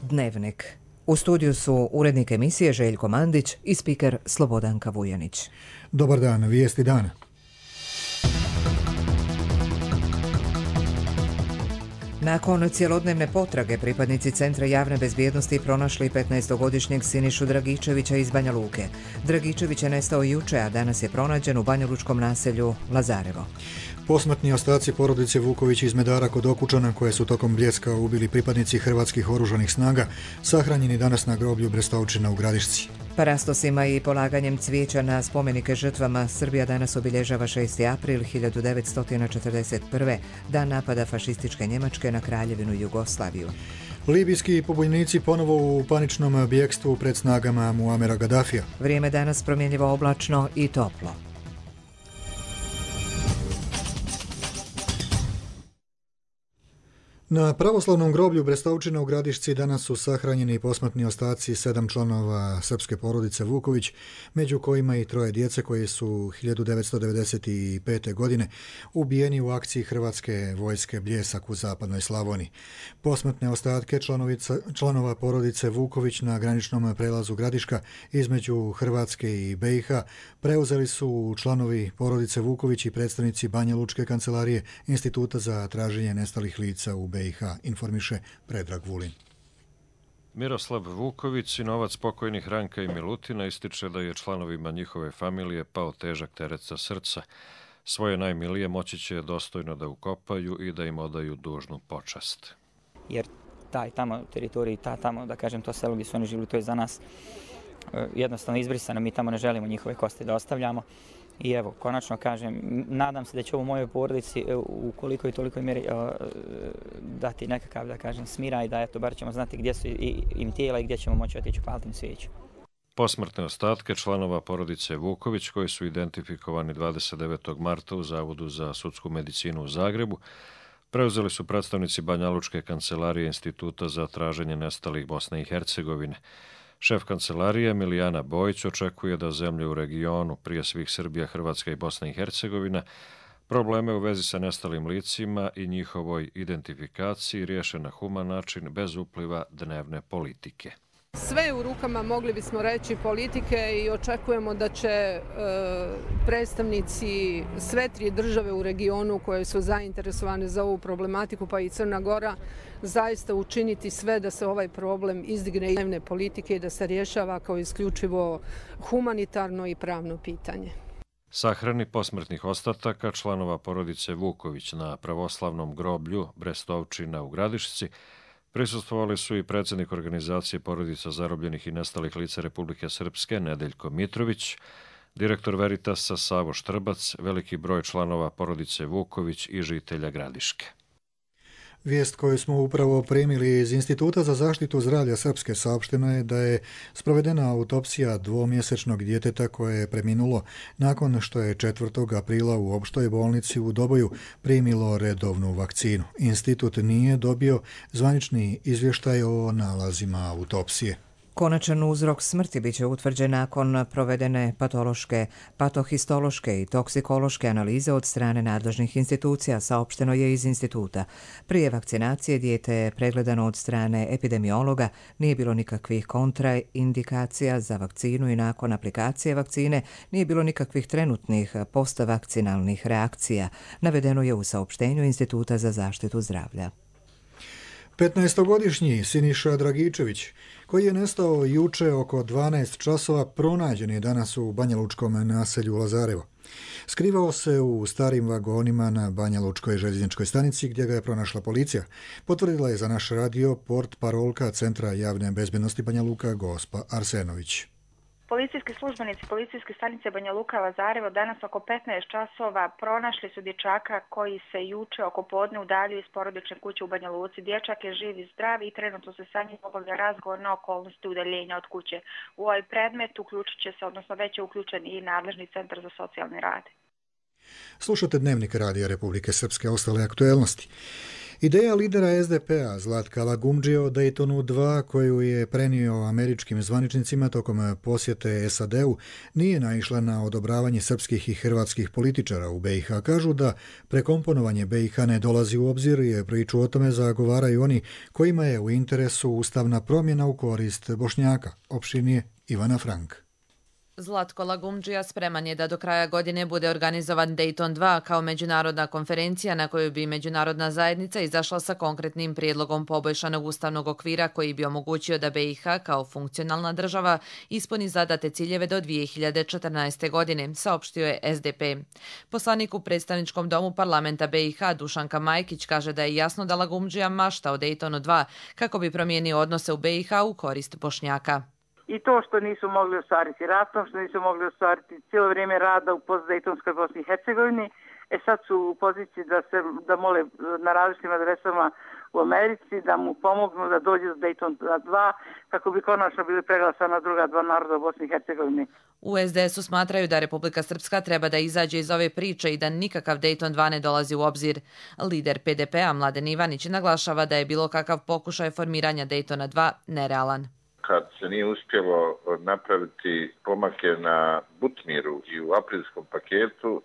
Dnevnik. U studiju su urednik emisije Željko Mandić i spiker Slobodanka Vujanić. Dobar dan, vijesti dana. Nakon cjelodnevne potrage pripadnici Centra javne bezbjednosti pronašli 15-godišnjeg Sinišu Dragičevića iz Banja Luke. Dragičević je nestao juče, a danas je pronađen u banjalučkom naselju Lazarevo. Posmrtni ostaci porodice Vuković iz Medara kod Okučana, koje su tokom Bljeska ubili pripadnici hrvatskih oružanih snaga, sahranjeni danas na groblju Brestovčina u Gradišci. Parastosima i polaganjem cvijeća na spomenike žrtvama Srbija danas obilježava 6. april 1941. dan napada fašističke Njemačke na Kraljevinu Jugoslaviju. Libijski pobunjenici ponovo u paničnom bjekstvu pred snagama Muamera Gaddafija. Vrijeme danas promjenjivo oblačno i toplo. Na pravoslavnom groblju Brestovčina u Gradišci danas su sahranjeni posmrtni ostaci 7 članova srpske porodice Vuković, među kojima i 3 djece koji su 1995. godine ubijeni u akciji Hrvatske vojske Bljesak u zapadnoj Slavoniji. Posmrtne ostatke članova porodice Vuković na graničnom prelazu Gradiška između Hrvatske i BiH preuzeli su članovi porodice Vuković i predstavnici Banjalučke kancelarije Instituta za traženje nestalih lica u BiH, informiše Predrag Vulin. Miroslav Vuković, sinovac pokojnih Ranka i Milutina, ističe da je članovima njihove familije pao težak teret sa srca. Svoje najmilije moći će dostojno da ukopaju i da im odaju dužnu počast. Jer taj tamo teritorij, da kažem, to selo gdje su oni živjeli, to je za nas jednostavno izbrisano. Mi tamo ne želimo njihove kosti da ostavljamo. I evo, konačno kažem, nadam se da će ovo mojoj porodici u koliko i tolikoj mjeri dati nekakav, da kažem, smira i da eto, bar ćemo znati gdje su im tijela i gdje ćemo moći otići upaliti im svijeću. Posmrtne ostatke članova porodice Vuković, koji su identifikovani 29. marta u Zavodu za sudsku medicinu u Zagrebu, preuzeli su predstavnici Banjalučke kancelarije Instituta za traženje nestalih Bosne i Hercegovine. Šef kancelarije Milijana Bojić očekuje da zemlje u regionu, prije svih Srbija, Hrvatska i Bosna i Hercegovina, probleme u vezi sa nestalim licima i njihovoj identifikaciji riješe na human način bez upliva dnevne politike. Sve je u rukama, mogli bismo reći, politike i očekujemo da će predstavnici sve 3 države u regionu koje su zainteresovane za ovu problematiku, pa i Crna Gora, zaista učiniti sve da se ovaj problem izdigne iz dnevne politike i da se rješava kao isključivo humanitarno i pravno pitanje. Sahrani posmrtnih ostataka članova porodice Vuković na pravoslavnom groblju Brestovčina u Gradišci prisustvovali su i predsjednik organizacije porodica zarobljenih i nestalih lica Republike Srpske Nedeljko Mitrović, direktor Veritasa Savo Štrbac, veliki broj članova porodice Vuković i žitelja Gradiške. Vijest koju smo upravo primili iz Instituta za zaštitu zdravlja Srpske saopšteno je da je sprovedena autopsija 2-mjesečnog djeteta koje je preminulo nakon što je 4. aprila u opštoj bolnici u Doboju primilo redovnu vakcinu. Institut nije dobio zvanični izvještaj o nalazima autopsije. Konačan uzrok smrti biće utvrđen nakon provedene patološke, patohistološke i toksikološke analize od strane nadležnih institucija, saopšteno je iz instituta. Prije vakcinacije dijete je pregledano od strane epidemiologa, nije bilo nikakvih kontraindikacija za vakcinu i nakon aplikacije vakcine nije bilo nikakvih trenutnih postvakcinalnih reakcija, navedeno je u saopštenju Instituta za zaštitu zdravlja. 15-godišnji Siniša Dragičević, koji je nestao juče oko 12 časova, pronađen je danas u banjalučkom naselju Lazarevo. Skrivao se u starim vagonima na Banjalučkoj željezničkoj stanici gdje ga je pronašla policija. Potvrdila je za naš radio portparolka Centra javne bezbjednosti Banja Luka Gospa Arsenović. Policijski službenici policijske stanice Banja Luka Lazarevo danas oko 15 časova pronašli su dječaka koji se juče oko podne udaljio iz porodične kuće u Banja Luci. Dječak je živ i zdrav i trenutno se sa njim obavlja razgovor na okolnosti udaljenja od kuće. U ovaj predmet uključit će se, odnosno već je uključen i nadležni centar za socijalni rad. Slušate Dnevnik Radija Republike Srpske, ostale aktuelnosti. Ideja lidera SDP-a Zlatka Lagumdžije o Daytonu 2, koju je prenio američkim zvaničnicima tokom posjete SAD-u, nije naišla na odobravanje srpskih i hrvatskih političara u BiH. Kažu da prekomponovanje BiH ne dolazi u obzir i priču o tome zagovaraju oni kojima je u interesu ustavna promjena u korist Bošnjaka, opširnije Ivana Frank. Zlatko Lagumdžija spreman je da do kraja godine bude organizovan Dayton 2 kao međunarodna konferencija na kojoj bi međunarodna zajednica izašla sa konkretnim prijedlogom poboljšanog ustavnog okvira koji bi omogućio da BiH kao funkcionalna država ispuni zadate ciljeve do 2014. godine, saopštio je SDP. Poslanik u predstavničkom domu parlamenta BiH Dušanka Majkić kaže da je jasno da Lagumdžija mašta o Daytonu 2 kako bi promijenio odnose u BiH u korist Bošnjaka. I to što nisu mogli ostvariti ratom, što nisu mogli ostvariti cijelo vrijeme rada u postdejtonskoj Bosni i Hercegovini, sad su u poziciji da mole na različitim adresama u Americi, da mu pomognu da dođe do Dayton 2, kako bi konačno bili preglasana druga dva naroda u Bosni i Hercegovini. U SDS-u smatraju da Republika Srpska treba da izađe iz ove priče i da nikakav Dayton 2 ne dolazi u obzir. Lider PDP-a Mladen Ivanić naglašava da je bilo kakav pokušaj formiranja Daytona 2 nerealan. Kad se nije uspjelo napraviti pomake na Butmiru i u aprilskom paketu,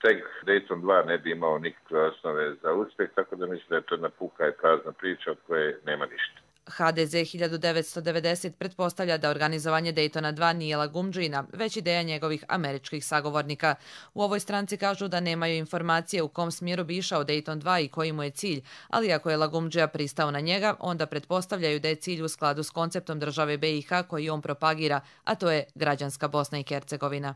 tek Dayton 2 ne bi imao nikakve osnove za uspjeh, tako da mislim da je to jedna puka i prazna priča od koje nema ništa. HDZ 1990 pretpostavlja da organizovanje Daytona 2 nije Lagumdžina, već ideja njegovih američkih sagovornika. U ovoj stranci kažu da nemaju informacije u kom smjeru bi išao Dayton 2 i koji mu je cilj, ali ako je Lagumdžija pristao na njega, onda pretpostavljaju da je cilj u skladu s konceptom države BiH koji on propagira, a to je građanska Bosna i Hercegovina.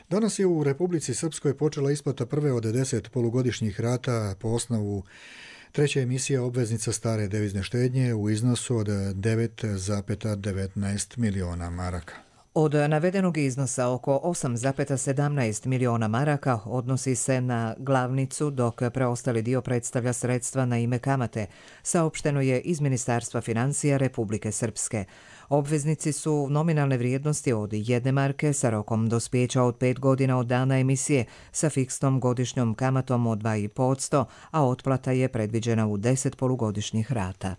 Danas je u Republici Srpskoj počela isplata prve od 10 polugodišnjih rata po osnovu treće emisija obveznica stare devizne štednje u iznosu od 9,19 miliona maraka. Od navedenog iznosa oko 8,17 miliona maraka odnosi se na glavnicu, dok preostali dio predstavlja sredstva na ime kamate, saopšteno je iz Ministarstva financija Republike Srpske. Obveznici su nominalne vrijednosti od 1 marke sa rokom dospijeća od 5 godina od dana emisije sa fiksnom godišnjom kamatom od 2,5%, a otplata je predviđena u 10 polugodišnjih rata.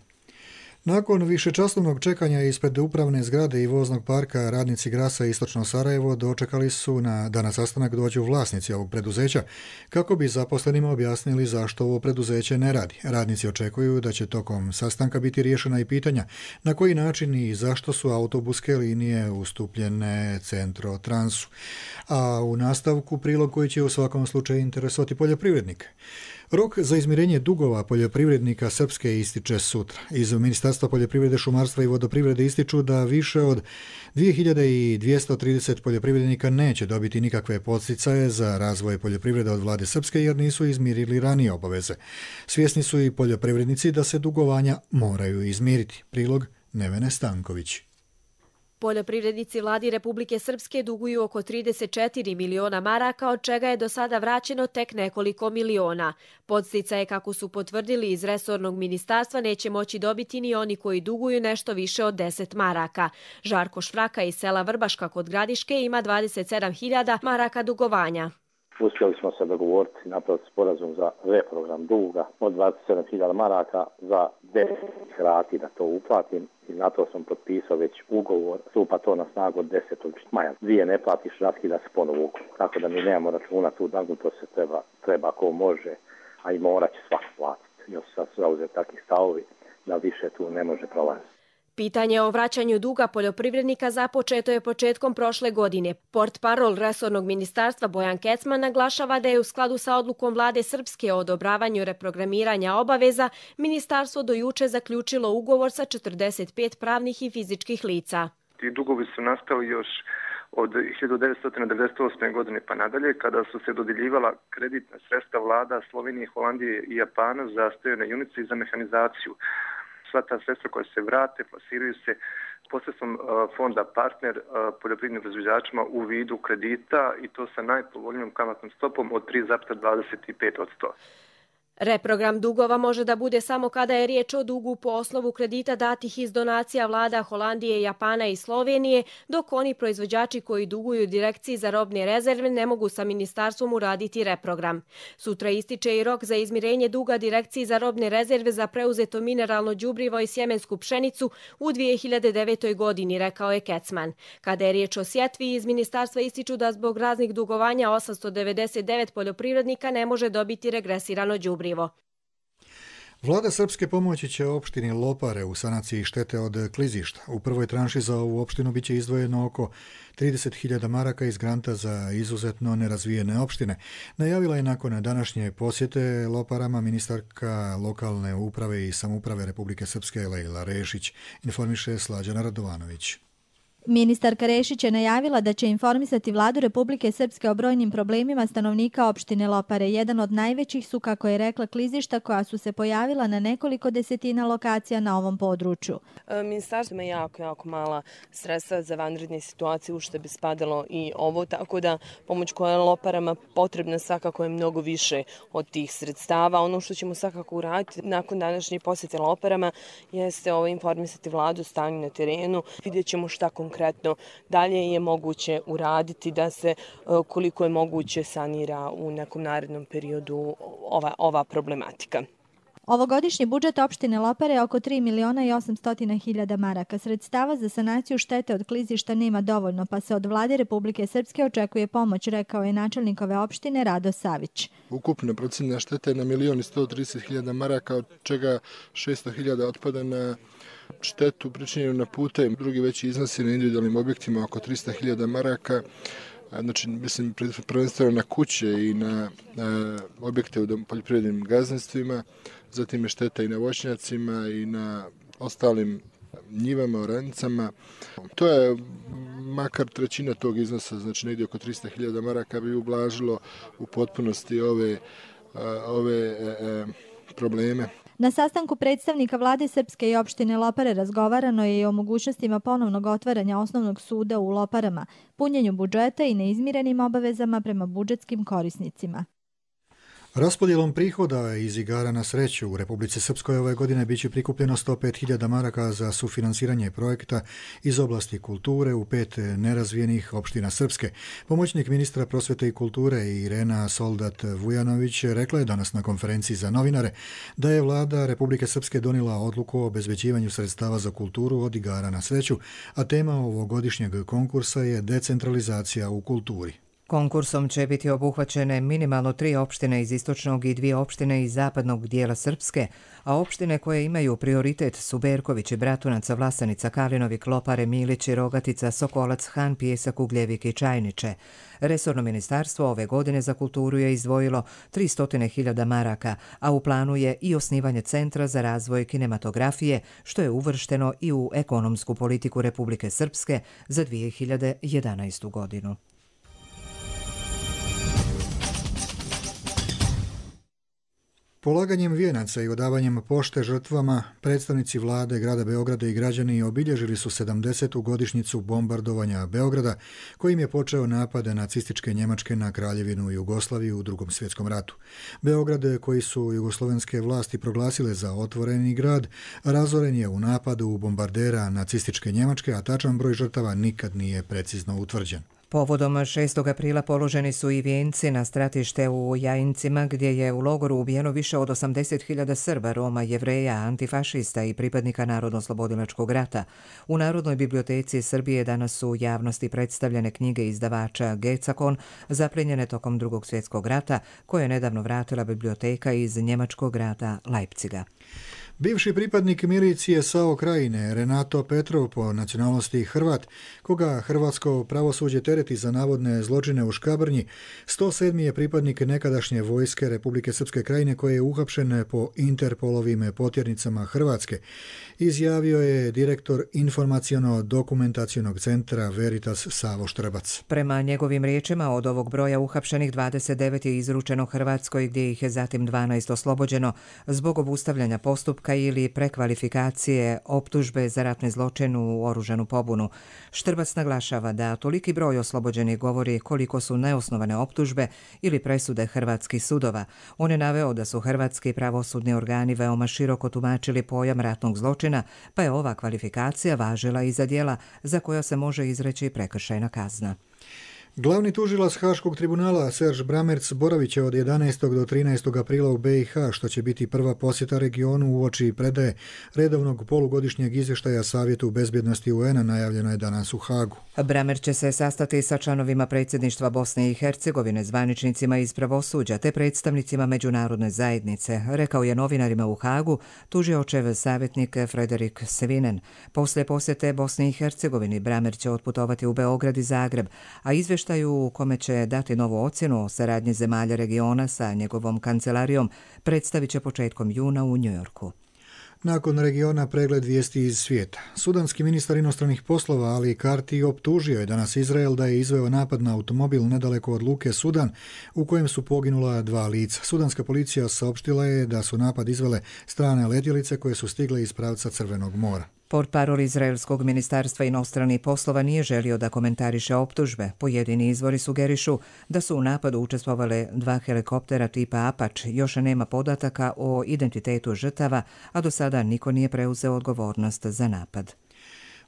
Nakon višečasovnog čekanja ispred upravne zgrade i voznog parka, radnici Grasa Istočno Sarajevo dočekali su da na sastanak dođu vlasnici ovog preduzeća kako bi zaposlenima objasnili zašto ovo preduzeće ne radi. Radnici očekuju da će tokom sastanka biti riješena i pitanja na koji način i zašto su autobuske linije ustupljene Centrotransu. A u nastavku prilog koji će u svakom slučaju interesovati poljoprivrednike. Rok za izmirenje dugova poljoprivrednika Srpske ističe sutra. Iz Ministarstva poljoprivrede, šumarstva i vodoprivrede ističu da više od 2230 poljoprivrednika neće dobiti nikakve podsticaje za razvoj poljoprivrede od vlade Srpske jer nisu izmirili ranije obaveze. Svjesni su i poljoprivrednici da se dugovanja moraju izmiriti. Prilog Nevene Stanković. Poljoprivrednici vladi Republike Srpske duguju oko 34 miliona maraka, od čega je do sada vraćeno tek nekoliko miliona. Podsticaje, kako su potvrdili iz resornog ministarstva, neće moći dobiti ni oni koji duguju nešto više od 10 maraka. Žarko Švraka iz sela Vrbaška kod Gradiške ima 27.000 maraka dugovanja. Uspjeli smo se dogovoriti i napraviti sporazum za reprogram duga od 27.000 maraka za 10 rati da to uplatim i na to sam potpisao već ugovor, stupa to na snagu od 10. maja. 2 ne platiš, raskida se ponovo. Tako da mi nemamo računa tu, to se treba ko može, a i morat će svak platiti. Još sad su zauzeti takvi stavovi da više tu ne može prolaziti. Pitanje o vraćanju duga poljoprivrednika započeto je početkom prošle godine. Portparol resornog ministarstva Bojan Kecman naglašava da je u skladu sa odlukom vlade Srpske o odobravanju reprogramiranja obaveza ministarstvo do juče zaključilo ugovor sa 45 pravnih i fizičkih lica. Ti dugovi su nastali još od 1998. godine pa nadalje, kada su se dodjeljivala kreditna sredstva vlada Slovenije, Holandije i Japana za stojane junice i za mehanizaciju. Sva ta sredstva koja se vrate plasiraju se posredstvom fonda partner poljoprivrednim proizvođačima u vidu kredita i to sa najpovoljnijom kamatnom stopom od 3,25%. Reprogram dugova može da bude samo kada je riječ o dugu po osnovu kredita datih iz donacija vlada Holandije, Japana i Slovenije, dok oni proizvođači koji duguju Direkciji za robne rezerve ne mogu sa ministarstvom uraditi reprogram. Sutra ističe i rok za izmirenje duga Direkciji za robne rezerve za preuzeto mineralno đubrivo i sjemensku pšenicu u 2009. godini, rekao je Kecman. Kada je riječ o sjetvi, iz ministarstva ističu da zbog raznih dugovanja 899 poljoprivrednika ne može dobiti regresirano đubrivo. Vlada Srpske pomoći će opštini Lopare u sanaciji štete od klizišta. U prvoj tranši za ovu opštinu biće izdvojeno oko 30.000 maraka iz granta za izuzetno nerazvijene opštine. Najavila je nakon današnje posjete Loparama ministarka lokalne uprave i samouprave Republike Srpske Lejla Rešić, informiše Slađana Radovanović. Ministarka Rešić je najavila da će informisati vladu Republike Srpske o brojnim problemima stanovnika opštine Lopare. Jedan od najvećih su, kako je rekla, klizišta koja su se pojavila na nekoliko desetina lokacija na ovom području. Ministarstvo ima jako mala sredstva za vanredne situacije, u što bi spadalo i ovo, tako da pomoć koja je Loparama potrebna svakako je mnogo više od tih sredstava. Ono što ćemo svakako uraditi nakon današnje posjete Loparama jeste informisati vladu o stanju na terenu. Vidjet ćemo šta konkretno dalje je moguće uraditi da se koliko je moguće sanira u nekom narednom periodu ova problematika. Ovogodišnji budžet opštine Lopare je oko 3.800.000 maraka. Sredstava za sanaciju štete od klizišta nema dovoljno, pa se od vlade Republike Srpske očekuje pomoć, rekao je načelnik ove opštine Rado Savić. Ukupna procena štete je na 1.130.000 maraka, od čega 600.000 otpada na štetu pričinjenu na putem. Drugi veći iznosi na individualnim objektima oko 300.000 maraka. Znači, mislim, prvenstveno na kuće i na objekte u poljoprivrednim gazdinstvima, zatim je šteta i na voćnjacima i na ostalim njivama, oranicama. To je makar trećina tog iznosa, znači negdje oko 300.000 maraka bi ublažilo u potpunosti ove probleme. Na sastanku predstavnika vlade Srpske i opštine Lopare razgovarano je i o mogućnostima ponovnog otvaranja osnovnog suda u Loparama, punjenju budžeta i neizmirenim obavezama prema budžetskim korisnicima. Raspodjelom prihoda iz igara na sreću u Republici Srpskoj ove godine biće prikupljeno 105.000 maraka za sufinansiranje projekta iz oblasti kulture u 5 nerazvijenih opština Srpske. Pomoćnik ministra prosvete i kulture Irena Soldat-Vujanović rekla je danas na konferenciji za novinare da je vlada Republike Srpske donijela odluku o obezbeđivanju sredstava za kulturu od igara na sreću, a tema ovogodišnjeg konkursa je decentralizacija u kulturi. Konkursom će biti obuhvaćene minimalno 3 opštine iz istočnog i 2 opštine iz zapadnog dijela Srpske, a opštine koje imaju prioritet su Berković, Bratunac, Vlasanica, Kalinovik, Lopare, Milić, Rogatica, Sokolac, Han, Pijesak, Ugljevik i Čajniče. Resorno ministarstvo ove godine za kulturu je izdvojilo 300.000 maraka, a u planu je i osnivanje Centra za razvoj kinematografije, što je uvršteno i u ekonomsku politiku Republike Srpske za 2011. godinu. Polaganjem vijenaca i odavanjem pošte žrtvama, predstavnici vlade grada Beograda i građani obilježili su 70. godišnjicu bombardovanja Beograda, kojim je počeo napad nacističke Njemačke na Kraljevinu Jugoslaviju u Drugom svjetskom ratu. Beograd, koji su jugoslovenske vlasti proglasile za otvoreni grad, razoren je u napadu bombardera nacističke Njemačke, a tačan broj žrtava nikad nije precizno utvrđen. Povodom 6. aprila položeni su i vijenci na stratište u Jajincima, gdje je u logoru ubijeno više od 80.000 Srba, Roma, Jevreja, antifašista i pripadnika Narodno-slobodilačkog rata. U Narodnoj biblioteci Srbije danas su u javnosti predstavljene knjige izdavača Gecakon, zaplijenjene tokom Drugog svjetskog rata, koje je nedavno vratila biblioteka iz njemačkog grada Leipziga. Bivši pripadnik milicije SAO Krajine, Renato Petrov, po nacionalnosti Hrvat, koga hrvatsko pravosuđe tereti za navodne zločine u Škabrnji, 107. je pripadnik nekadašnje vojske Republike Srpske Krajine koji je uhapšen po Interpolovim potjernicama Hrvatske, izjavio je direktor informaciono-dokumentacionog centra Veritas Savo Štrbac. Prema njegovim riječima, od ovog broja uhapšenih 29 je izručeno Hrvatskoj, gdje ih je zatim 12 oslobođeno zbog obustavljanja postupka popravka ili prekvalifikacije optužbe za ratni zločin u oružanu pobunu. Štrbac naglašava da toliki broj oslobođenih govori koliko su neosnovane optužbe ili presude hrvatskih sudova. On je naveo da su hrvatski pravosudni organi veoma široko tumačili pojam ratnog zločina, pa je ova kvalifikacija važila i za djela za koja se može izreći prekršajna kazna. Glavni tužilac Haškog tribunala Serge Brammertz boravit će od 11. do 13. aprila u BiH, što će biti prva posjeta regionu uoči predaje redovnog polugodišnjeg izvještaja Savjetu bezbjednosti UN-a, najavljeno je danas u Hagu. Brammertz će se sastati sa članovima predsjedništva Bosne i Hercegovine, zvaničnicima iz pravosuđa te predstavnicima međunarodne zajednice, rekao je novinarima u Hagu tužiočev savjetnik Frederik Svinen. Poslije posjete Bosni i Hercegovini Brammertz će otputovati u Beograd i Zagreb, a izvještaju u kome će dati novu ocjenu o saradnji zemalja regiona sa njegovom kancelarijom predstavit će početkom juna u Njujorku. Nakon regiona pregled vijesti iz svijeta. Sudanski ministar inostranih poslova Ali Karti optužio je danas Izrael da je izveo napad na automobil nedaleko od luke Sudan u kojem su poginula 2 lica. Sudanska policija saopštila je da su napad izvele strane letjelice koje su stigle iz pravca Crvenog mora. Portparol izraelskog ministarstva inostranih poslova nije želio da komentariše optužbe. Pojedini izvori sugerišu da su u napadu učestvovale 2 helikoptera tipa Apache. Još nema podataka o identitetu žrtava, a do sada niko nije preuzeo odgovornost za napad.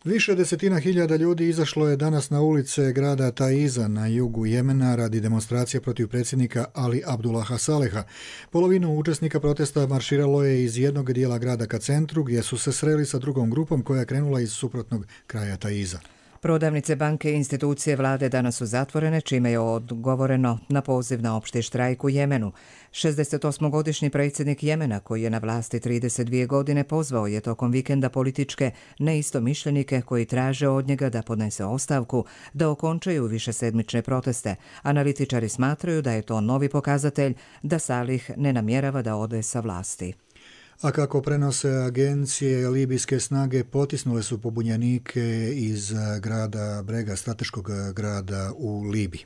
Više desetina hiljada ljudi izašlo je danas na ulice grada Taiza na jugu Jemena radi demonstracije protiv predsjednika Ali Abdullaha Saleha. Polovinu učesnika protesta marširalo je iz jednog dijela grada ka centru, gdje su se sreli sa drugom grupom koja je krenula iz suprotnog kraja Taiza. Prodavnice, banke i institucije vlade danas su zatvorene, čime je odgovoreno na poziv na opšti štrajk u Jemenu. 68-godišnji predsjednik Jemena, koji je na vlasti 32 godine, pozvao je tokom vikenda političke neistomišljenike koji traže od njega da podnese ostavku, da okončaju višesedmične proteste. Analitičari smatraju da je to novi pokazatelj da Salih ne namjerava da ode sa vlasti. A kako prenose agencije, libijske snage potisnule su pobunjenike iz grada Brega, strateškog grada u Libiji.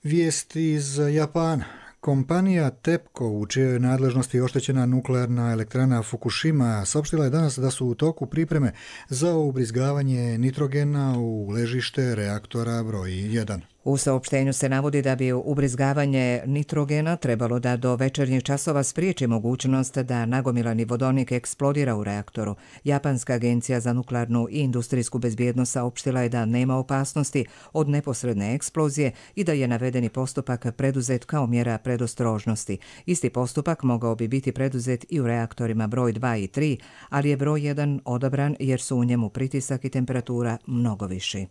Vijest iz Japana. Kompanija TEPCO, u čijoj nadležnosti je oštećena nuklearna elektrana Fukushima, saopštila je danas da su u toku pripreme za ubrizgavanje nitrogena u ležište reaktora broj 1. U saopštenju se navodi da bi ubrizgavanje nitrogena trebalo da do večernjih časova spriječi mogućnost da nagomilani vodonik eksplodira u reaktoru. Japanska agencija za nuklearnu i industrijsku bezbjednost saopštila je da nema opasnosti od neposredne eksplozije i da je navedeni postupak preduzet kao mjera predostrožnosti. Isti postupak mogao bi biti preduzet i u reaktorima broj 2 i 3, ali je broj 1 odabran jer su u njemu pritisak i temperatura mnogo viši.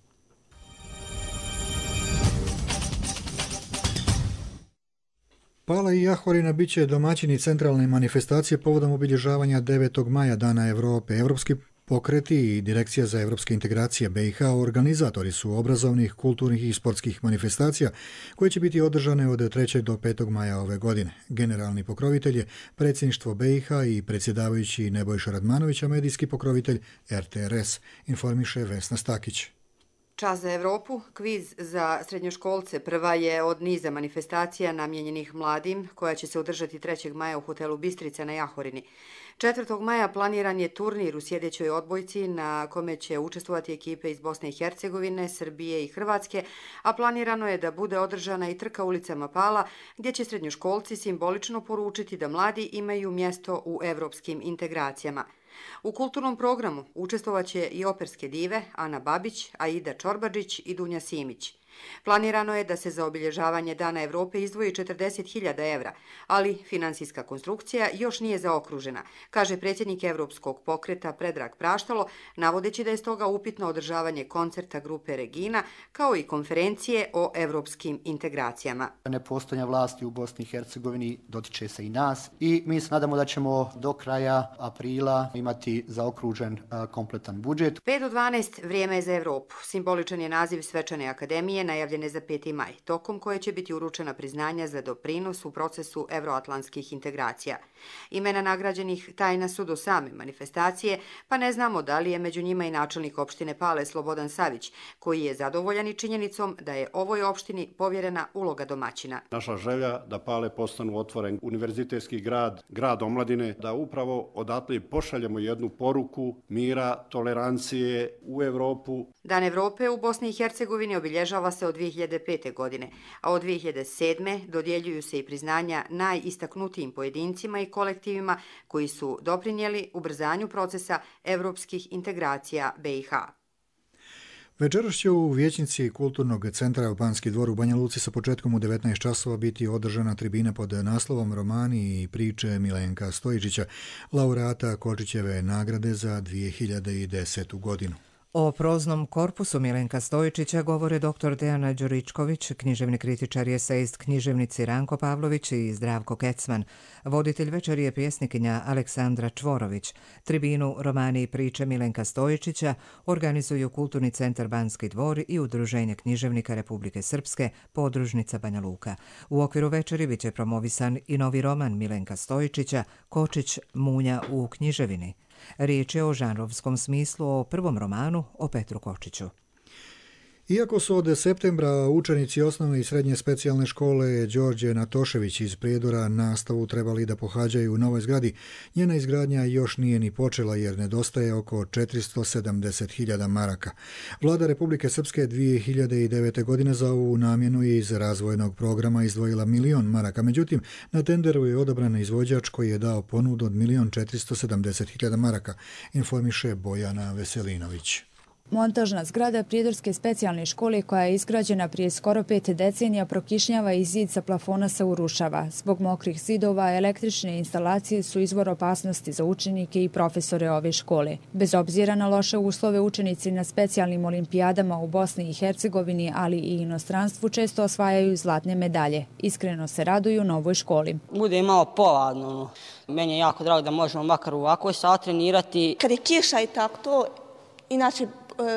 Pala i Jahorina bit će domaćini centralne manifestacije povodom obilježavanja 9. maja Dana Europe. Evropski pokreti i Direkcija za evropske integracije BiH organizatori su obrazovnih, kulturnih i sportskih manifestacija koje će biti održane od 3. do 5. maja ove godine. Generalni pokrovitelj je predsjedništvo BiH i predsjedavajući Nebojša Radmanović, a medijski pokrovitelj RTRS, informiše Vesna Stakić. Čas za Evropu, kviz za srednjoškolce, prva je od niza manifestacija namijenjenih mladim, koja će se održati 3. maja u hotelu Bistrica na Jahorini. 4. maja planiran je turnir u sjedećoj odbojci na kome će učestvovati ekipe iz Bosne i Hercegovine, Srbije i Hrvatske, a planirano je da bude održana i trka ulicama Pala, gdje će srednjoškolci simbolično poručiti da mladi imaju mjesto u evropskim integracijama. U kulturnom programu učestvovaće i operske dive Ana Babić, Aida Čorbađić i Dunja Simić. Planirano je da se za obilježavanje Dana Evrope izdvoji 40.000 evra, ali finansijska konstrukcija još nije zaokružena, kaže predsjednik Evropskog pokreta Predrag Praštalo, navodeći da je stoga upitno održavanje koncerta grupe Regina, kao i konferencije o evropskim integracijama. Nepostojanje vlasti u Bosni i Hercegovini dotiče se i nas i mi se nadamo da ćemo do kraja aprila imati zaokružen kompletan budžet. 5 do 12 vrijeme je za Evropu. Simboličan je naziv svečane akademije ceremonije najavljene za 5. maj, tokom koje će biti uručena priznanja za doprinos u procesu evroatlantskih integracija. Imena nagrađenih tajna su do same manifestacije, pa ne znamo da li je među njima i načelnik opštine Pale Slobodan Savić, koji je zadovoljan i činjenicom da je ovoj opštini povjerena uloga domaćina. Naša želja da Pale postanu otvoren univerzitetski grad, grad omladine, da upravo odatle pošaljemo jednu poruku mira, tolerancije u Evropu. Dan Evrope u Bosni i Hercegovini obilježava se od 2005. godine, a od 2007. dodjeljuju se i priznanja najistaknutijim pojedincima i kolektivima koji su doprinijeli ubrzanju procesa evropskih integracija BiH. Večeras će u vijećnici Kulturnog centra Banski dvor u Banja Luci sa početkom u 19 časova biti održana tribina pod naslovom Romani i priče Milenka Stojičića, laureata Kočićeve nagrade za 2010. godinu. O proznom korpusu Milenka Stojičića govore dr. Dejana Đuričković, književni kritičar i esejist književnici Ranko Pavlović i Zdravko Kecman. Voditelj večeri je pjesnikinja Aleksandra Čvorović. Tribinu Romani i priče Milenka Stojičića organizuju Kulturni centar Banski dvor i Udruženje književnika Republike Srpske, podružnica Banja Luka. U okviru večeri biće promovisan i novi roman Milenka Stojičića, Kočić Munja u književini. Riječ je o žanrovskom smislu o prvom romanu o Petru Kočiću. Iako su od septembra učenici osnovne i srednje specijalne škole Đorđe Natošević iz Prijedora nastavu trebali da pohađaju u novoj zgradi, njena izgradnja još nije ni počela jer nedostaje oko 470.000 maraka. Vlada Republike Srpske 2009. godine za ovu namjenu je iz razvojnog programa izdvojila 1.000.000 maraka, međutim na tenderu je odabran izvođač koji je dao ponudu od 1.470.000 maraka, informiše Bojana Veselinović. Montažna zgrada Prijedorske specijalne škole koja je izgrađena prije skoro 5 decenija prokišnjava i zid sa plafona se urušava. Zbog mokrih zidova električne instalacije su izvor opasnosti za učenike i profesore ove škole. Bez obzira na loše uslove, učenici na specijalnim olimpijadama u Bosni i Hercegovini, ali i inostranstvu često osvajaju zlatne medalje. Iskreno se raduju novoj školi. Bude malo poladno. Meni je jako drago da možemo makar u ovakvoj sat trenirati. Kad je kiša i tako to, inače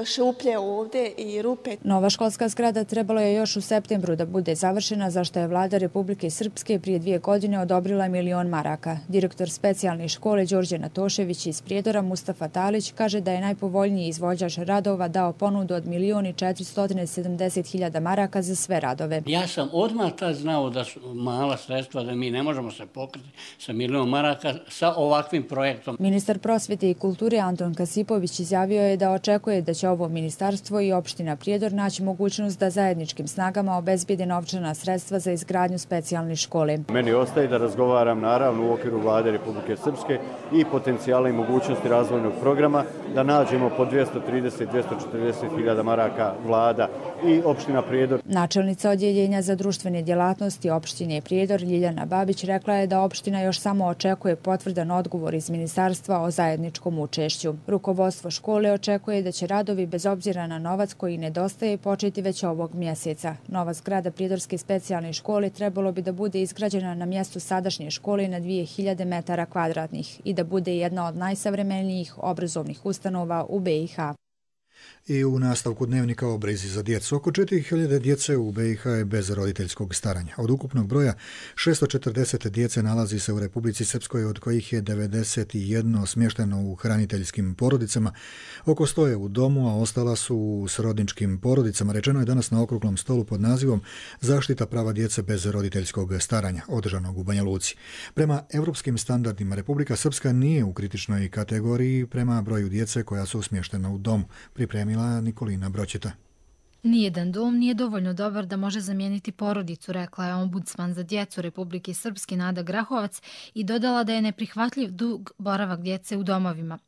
šuplje ovdje i rupe. Nova školska zgrada trebalo je još u septembru da bude završena, za što je Vlada Republike Srpske prije 2 godine odobrila 1.000.000 maraka. Direktor specijalne škole Đorđe Natošević iz Prijedora Mustafa Talić kaže da je najpovoljniji izvođač radova dao ponudu od 1.470.000 maraka za sve radove. Ja sam odmah tad znao da su mala sredstva, da mi ne možemo se pokriti sa 1.000.000 maraka sa ovakvim projektom. Ministar prosvete i kulture Anton Kasipović izjavio je da očekuje da će ovo ministarstvo i opština Prijedor naći mogućnost da zajedničkim snagama obezbijede novčana sredstva za izgradnju specijalne škole. Meni ostaje da razgovaram naravno u okviru Vlade Republike Srpske i potencijala i mogućnosti razvojnog programa, da nađemo po 230-240.000 maraka Vlada i opština Prijedor. Načelnica odjeljenja za društvene djelatnosti opštine Prijedor Ljiljana Babić rekla je da opština još samo očekuje potvrdan odgovor iz ministarstva o zajedničkom učešću. Rukovodstvo škole očekuje da će radovi bez obzira na novac koji nedostaje početi već ovog mjeseca. Nova zgrada Prijedorske specijalne škole trebalo bi da bude izgrađena na mjestu sadašnje škole na 2000 metara kvadratnih i da bude jedna od najsavremenijih obrazovnih ustanova u BiH. I u nastavku dnevnika o brizi za djecu. Oko 4.000 djece u BiH je bez roditeljskog staranja. Od ukupnog broja 640 djece nalazi se u Republici Srpskoj, od kojih je 91 smješteno u hraniteljskim porodicama. Oko 100 je u domu, a ostala su u srodničkim porodicama. Rečeno je danas na okruglom stolu pod nazivom Zaštita prava djece bez roditeljskog staranja, održanog u Banja Luci. Prema evropskim standardima Republika Srpska nije u kritičnoj kategoriji prema broju djece koja su smještena u domu, pripremila Nikolina Broćeta. Nijedan dom nije dovoljno dobar da može zamijeniti porodicu, rekla je ombudsman za djecu Republike Srpske Nada Grahovac i dodala da je neprihvatljiv dug boravak djece u domovima.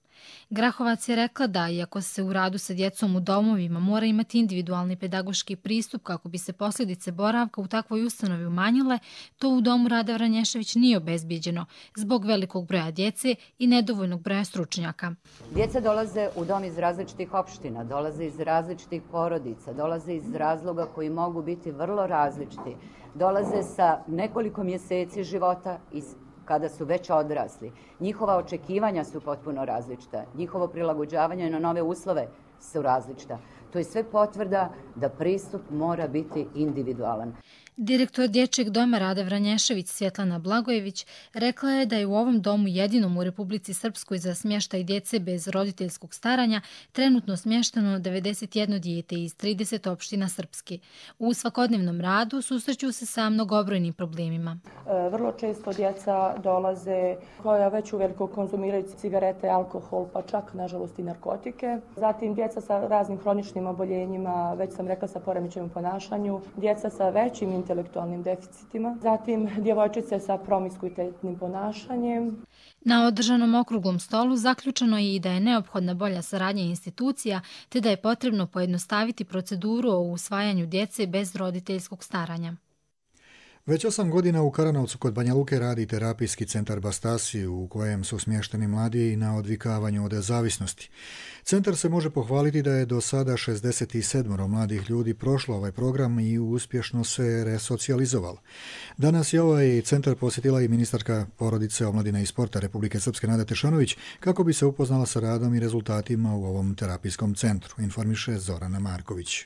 Grahovac je rekla da, iako se u radu sa djecom u domovima mora imati individualni pedagoški pristup kako bi se posljedice boravka u takvoj ustanovi umanjile, to u domu Rada Vranješević nije obezbijeđeno zbog velikog broja djece i nedovoljnog broja stručnjaka. Djeca dolaze u dom iz različitih opština, dolaze iz različitih porodica, dolaze iz razloga koji mogu biti vrlo različiti, dolaze sa nekoliko mjeseci života i kada su već odrasli. Njihova očekivanja su potpuno različita. Njihovo prilagođavanje na nove uslove su različita. To je sve potvrda da pristup mora biti individualan. Direktor Dječjeg doma Rada Vranješević Svjetlana Blagojević rekla je da je u ovom domu jedinom u Republici Srpskoj za smještaj djece bez roditeljskog staranja trenutno smješteno 91 dijete iz 30 opština Srpske. U svakodnevnom radu susreću se sa mnogobrojnim problemima. Vrlo često djeca dolaze koja već uveliko konzumiraju cigarete, alkohol, pa čak nažalost i narkotike. Zatim djeca sa raznim hroničnim oboljenjima, već sam rekla sa poremećajem u ponašanju, djeca sa većim intelektualnim deficitima, zatim djevojčice sa promiskuitetnim ponašanjem. Na održanom okruglom stolu zaključeno je i da je neophodna bolja saradnja institucija, te da je potrebno pojednostaviti proceduru o usvajanju djece bez roditeljskog staranja. Već 8 godina u Karanovcu kod Banja Luke radi terapijski centar Bastasi u kojem su smješteni mladi na odvikavanju od zavisnosti. Centar se može pohvaliti da je do sada 67 mladih ljudi prošlo ovaj program i uspješno se resocijalizovalo. Danas je ovaj centar posjetila i ministarka porodice, omladine i sporta Republike Srpske Nada Tešanović kako bi se upoznala sa radom i rezultatima u ovom terapijskom centru, informiše Zorana Marković.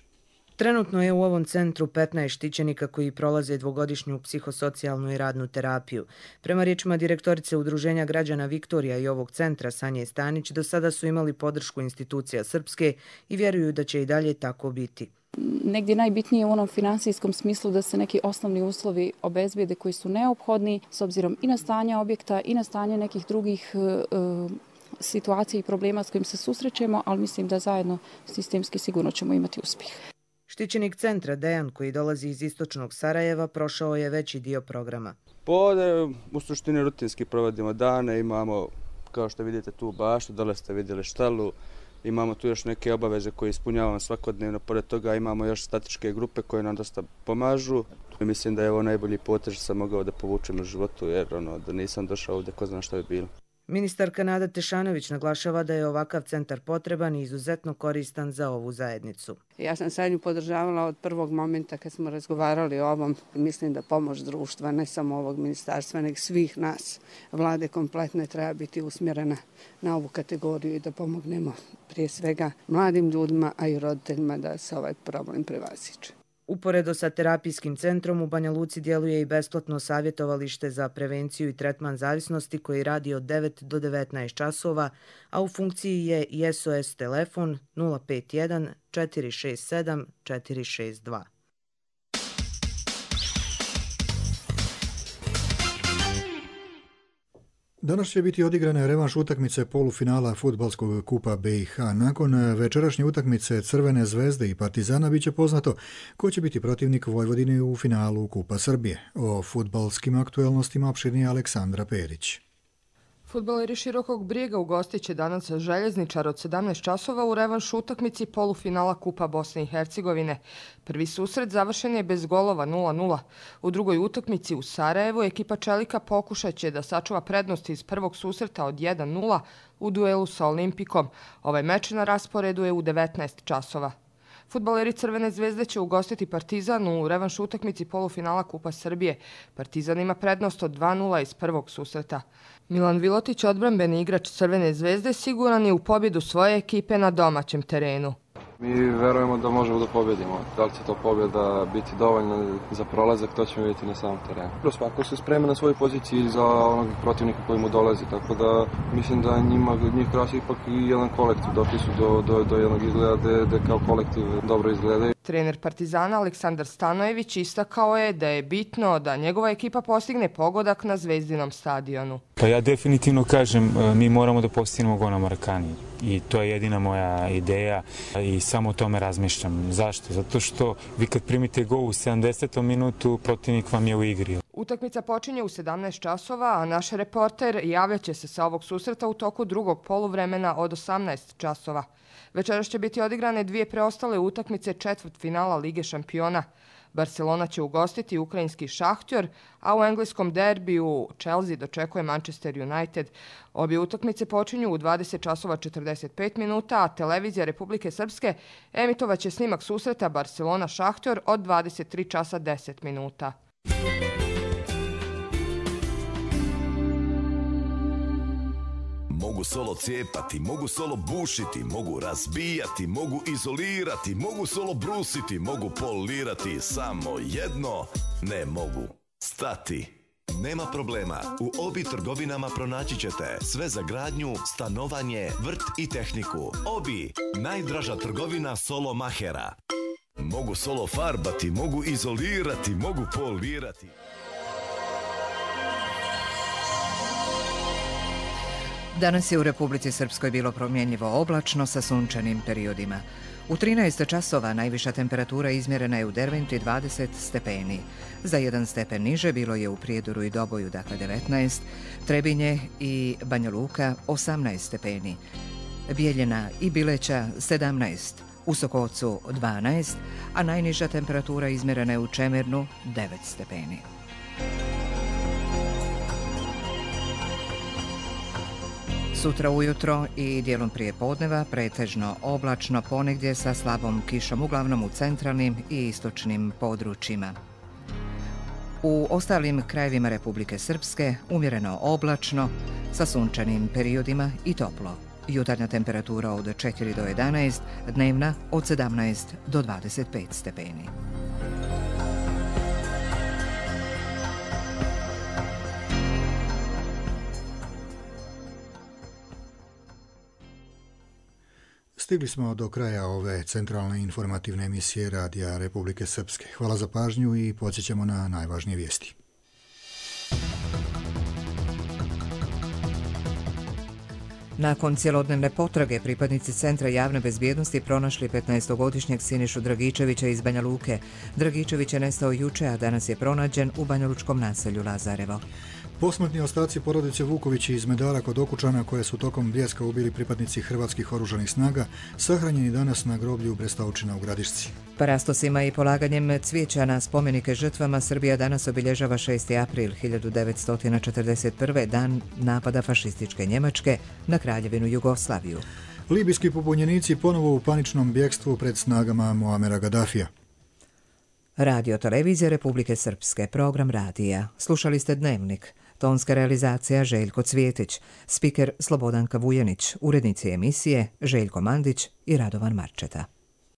Trenutno je u ovom centru 15 štićenika koji prolaze dvogodišnju psihosocijalnu i radnu terapiju. Prema riječima direktorice Udruženja građana Viktorija i ovog centra Sanje Stanić, do sada su imali podršku institucija Srpske i vjeruju da će i dalje tako biti. Negdje najbitnije u onom finansijskom smislu da se neki osnovni uslovi obezbijede koji su neophodni s obzirom i na stanje objekta i na stanje nekih drugih situacija i problema s kojim se susrećemo, ali mislim da zajedno sistemski sigurno ćemo imati uspjeh. Štićenik centra Dejan, koji dolazi iz istočnog Sarajeva, prošao je veći dio programa. U suštini rutinski provodimo dane, imamo, kao što vidite, tu baštu, dole ste vidjeli štalu, imamo tu još neke obaveze koje ispunjavamo svakodnevno, pored toga imamo još statičke grupe koje nam dosta pomažu. Mislim da je ovo najbolji potez što sam mogao da povučem u životu, jer da nisam došao ovdje, ko zna što bi bilo. Ministarka Nada Tešanović naglašava da je ovakav centar potreban i izuzetno koristan za ovu zajednicu. Ja sam Sanju podržavala od prvog momenta kad smo razgovarali o ovom. Mislim da pomoć društva, ne samo ovog ministarstva, nego svih nas, vlade kompletne, treba biti usmjerena na ovu kategoriju i da pomognemo prije svega mladim ljudima, a i roditeljima da se ovaj problem prevaziđe. Uporedo sa terapijskim centrom u Banja Luci djeluje i besplatno savjetovalište za prevenciju i tretman zavisnosti koji radi od 9 do 19 časova, a u funkciji je i SOS telefon 051 467 462. Danas će biti odigrane revanš utakmice polufinala fudbalskog kupa BiH. Nakon večerašnje utakmice Crvene zvezde i Partizana biće poznato ko će biti protivnik Vojvodine u finalu Kupa Srbije. O fudbalskim aktuelnostima opširnije Aleksandra Perić. Fudbaleri Širokog Brijega ugostit će danas Željezničar od 17 časova u revanš utakmici polufinala Kupa Bosne i Hercegovine. Prvi susret završen je bez golova 0-0. U drugoj utakmici u Sarajevu ekipa Čelika pokušat će da sačuva prednost iz prvog susreta od 1-0 u duelu sa Olimpikom. Ovaj meč na rasporedu je u 19 časova. Fudbaleri Crvene zvezde će ugostiti Partizan u revanš utakmici polufinala Kupa Srbije. Partizan ima prednost od 2-0 iz prvog susreta. Milan Vilotić, odbrambeni igrač Crvene zvezde, siguran je u pobjedu svoje ekipe na domaćem terenu. Mi verujemo da možemo da pobjedimo. Da li će to pobjeda biti dovoljna za prolazak, to ćemo vidjeti na samom terenu. Svako se sprema na svojoj poziciji za onog protivnika koji mu dolazi, tako da mislim da njih krasi ipak i jedan kolektiv. Došli su do jednog izgleda gde kao kolektiv dobro izgledaju. Trener Partizana Aleksandar Stanojević istakao je da je bitno da njegova ekipa postigne pogodak na Zvezdinom stadionu. Pa ja definitivno kažem, mi moramo da postignemo gol na Marakani i to je jedina moja ideja i samo o tome razmišljam. Zašto? Zato što vi kad primite gol u 70. minutu, protivnik vam je u igri. Utakmica počinje u 17 časova, a naš reporter javljat će se sa ovog susreta u toku drugog poluvremena od 18 časova. Večeras će biti odigrane dvije preostale utakmice četvrtfinala Lige šampiona. Barcelona će ugostiti ukrajinski Šahtjor, a u engleskom derbiju Chelsea dočekuje Manchester United. Obje utakmice počinju u 20 časova 45 minuta, a televizija Republike Srpske emitovaće snimak susreta Barcelona-Šahtjor od 23 časa 10 minuta. mogu solo cijepati, mogu solo bušiti, mogu razbijati, mogu izolirati, mogu solo brusiti, mogu polirati, samo jedno ne mogu stati. Nema problema, u Obi trgovinama pronaći ćete sve za gradnju, stanovanje, vrt i tehniku. Obi, najdraža trgovina solo mahera. Mogu solo farbati, mogu izolirati, mogu polirati. Danas je u Republici Srpskoj bilo promjenjivo oblačno sa sunčanim periodima. U 13 časova najviša temperatura izmjerena je u Derventi 20 stepeni. Za 1 stepen niže bilo je u Prijedoru i Doboju, dakle 19, Trebinje i Banja Luka 18 stepeni, Bijeljina i Bileća 17, u Sokocu 12, a najniža temperatura izmjerena je u Čemernu 9 stepeni. Sutra ujutro i dijelom prije podneva pretežno oblačno, ponegdje sa slabom kišom, uglavnom u centralnim i istočnim područjima. U ostalim krajevima Republike Srpske umjereno oblačno sa sunčanim periodima i toplo. Jutarnja temperatura od 4 do 11, dnevna od 17 do 25 stepeni. Stigli smo do kraja ove centralne informativne emisije Radija Republike Srpske. Hvala za pažnju i podsjećamo na najvažnije vijesti. Nakon cjelodnevne potrage, pripadnici Centra javne bezbjednosti pronašli 15-godišnjeg Sinišu Dragičevića iz Banja Luke. Dragičević je nestao juče, a danas je pronađen u banjalučkom naselju Lazarevo. Posmrtni ostaci porodice Vuković iz Medara kod Okučana, koje su tokom Bljeska ubili pripadnici hrvatskih oružanih snaga, sahranjeni danas na groblju Brestovčina u Gradišci. Parastosima i polaganjem cvijeća na spomenike žrtvama Srbija danas obilježava 6. april 1941. dan napada fašističke Njemačke na Kraljevinu Jugoslaviju. Libijski pobunjenici ponovo u paničnom bjegstvu pred snagama Muamera Gaddafija. Radio televizija Republike Srpske, program radija. Slušali ste Dnevnik. Tonska realizacija Željko Cvjetić, spiker Slobodanka Vujanić, urednici emisije Željko Mandić i Radovan Marčeta.